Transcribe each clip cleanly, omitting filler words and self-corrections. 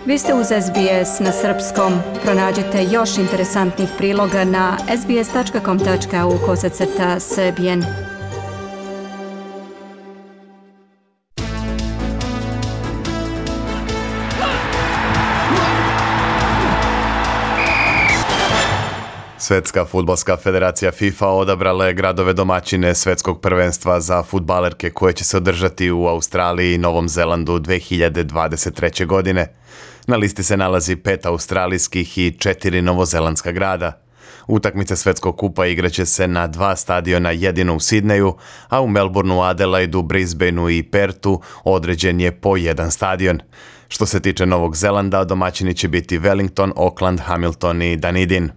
Vi ste uz SBS na srpskom. Pronađite još interesantnih priloga na sbs.com.au/srbijen. Svetska fudbalska federacija FIFA odabrala je gradove domaćine svetskog prvenstva za fudbalerke koje će se održati u Australiji i Novom Zelandu 2023. godine. Na listi se nalazi 5 australijskih i 4 novozelandska grada. Utakmice Svetskog kupa igraće se na 2 stadiona, jedino u Sidneju, a u Melbourneu, Adelaidu, Brisbaneu i Pertu određen je po jedan stadion. Što se tiče Novog Zelanda, domaćini će biti Wellington, Auckland, Hamilton i Dunedin.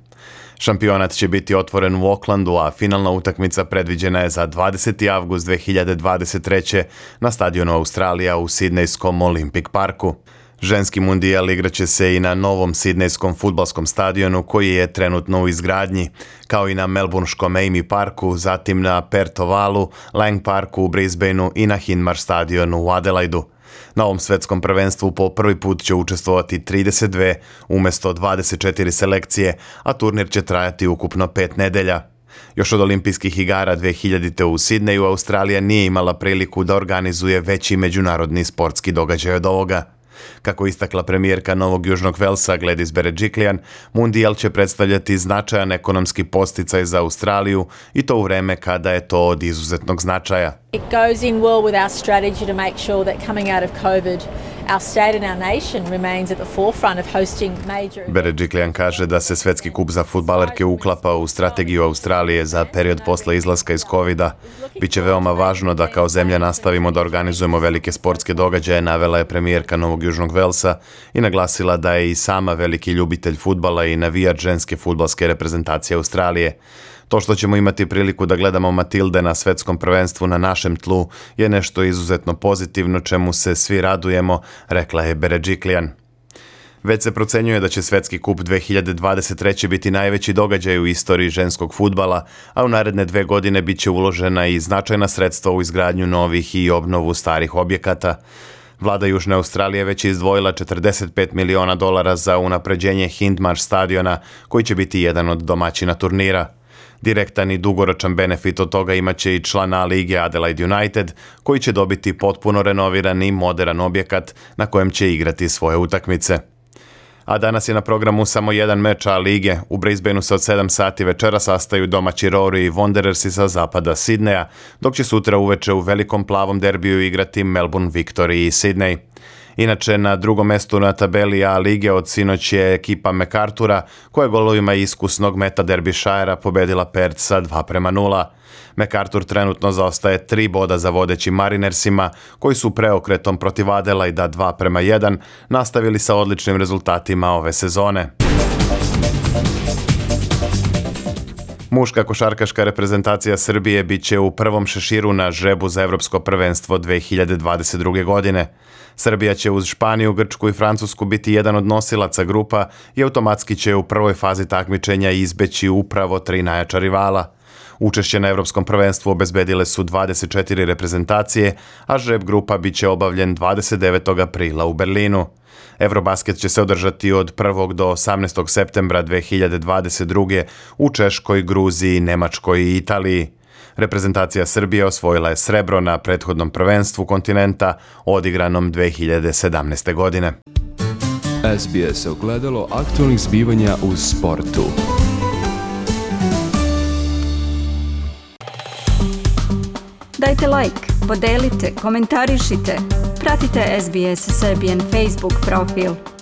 Šampionat će biti otvoren u Aucklandu, a finalna utakmica predviđena je za 20. avgust 2023. na stadionu Australija u Sidnejskom Olympic Parku. Ženski mundijal igraće se i na novom sidnejskom fudbalskom stadionu koji je trenutno u izgradnji, kao i na melbourneškom Amy Parku, zatim na Perth Ovalu, Lang Parku u Brisbaneu i na Hindmarsh stadionu u Adelaidu. Na ovom svetskom prvenstvu po prvi put će učestvovati 32 umjesto 24 selekcije, a turnir će trajati ukupno 5 nedelja. Još od olimpijskih igara 2000. u Sidneju Australija nije imala priliku da organizuje veći međunarodni sportski događaj od ovoga. Kako istakla premijerka Novog Južnog Velsa Gladys Berejiklian, mundijal će predstavljati značajan ekonomski podsticaj za Australiju i to u vreme kada je to od izuzetnog značaja. It goes in well with our strategy to make sure that coming out of COVID, our state and our nation remains at the forefront of hosting major... Berejiklian kaže da se Svetski kup za fudbalerke uklapa u strategiju Australije za period posle izlaska iz covida. Biće veoma važno da kao zemlja nastavimo da organizujemo velike sportske događaje, navela je premijerka Novog Južnog Velsa i naglasila da je i sama veliki ljubitelj fudbala i navijač ženske fudbalske reprezentacije Australije. To što ćemo imati priliku da gledamo Matilde na svetskom prvenstvu na našem tlu je nešto izuzetno pozitivno čemu se svi radujemo, rekla je Berejiklian. Već se procenjuje da će Svetski kup 2023. biti najveći događaj u istoriji ženskog fudbala, a u naredne 2 godine bit će uložena i značajna sredstva u izgradnju novih i obnovu starih objekata. Vlada Južne Australije već je izdvojila $45 miliona za unapređenje Hindmarsh stadiona, koji će biti jedan od domaćina turnira. Direktan i dugoročan benefit od toga imaće i član A lige Adelaide United, koji će dobiti potpuno renoviran i modern objekat na kojem će igrati svoje utakmice. A danas je na programu samo jedan meč A lige. U Brisbaneu se od 7 sati večera sastaju domaći Rory i Wanderersi sa zapada Sidneja, dok će sutra uveče u velikom plavom derbiju igrati Melbourne Victory i Sydney. Inače, na drugom mestu na tabeli A lige od sinoć je ekipa MacArthura, koja je golovima iskusnog Meta Derbyshirea pobedila Perth sa 2-0. MacArthur trenutno zaostaje 3 boda za vodećim Marinersima, koji su preokretom protiv Adelaida 2-1 nastavili sa odličnim rezultatima ove sezone. Muška košarkaška reprezentacija Srbije bit će u prvom šeširu na žrebu za Evropsko prvenstvo 2022. godine. Srbija će uz Španiju, Grčku i Francusku biti jedan od nosilaca grupa i automatski će u prvoj fazi takmičenja izbeći upravo 3 najjača rivala. Učešće na Evropskom prvenstvu obezbedile su 24 reprezentacije, a žreb grupa bit će obavljen 29. aprila u Berlinu. Eurobasket će se održati od 1. do 18. septembra 2022. u Češkoj, Gruziji, Nemačkoj i Italiji. Reprezentacija Srbije osvojila je srebro na prethodnom prvenstvu kontinenta odigranom 2017. godine. SBS ogledalo aktualnih zbivanja u sportu. Dajte like, podelite, komentarišite. Pratite SBS Serbian Facebook profil.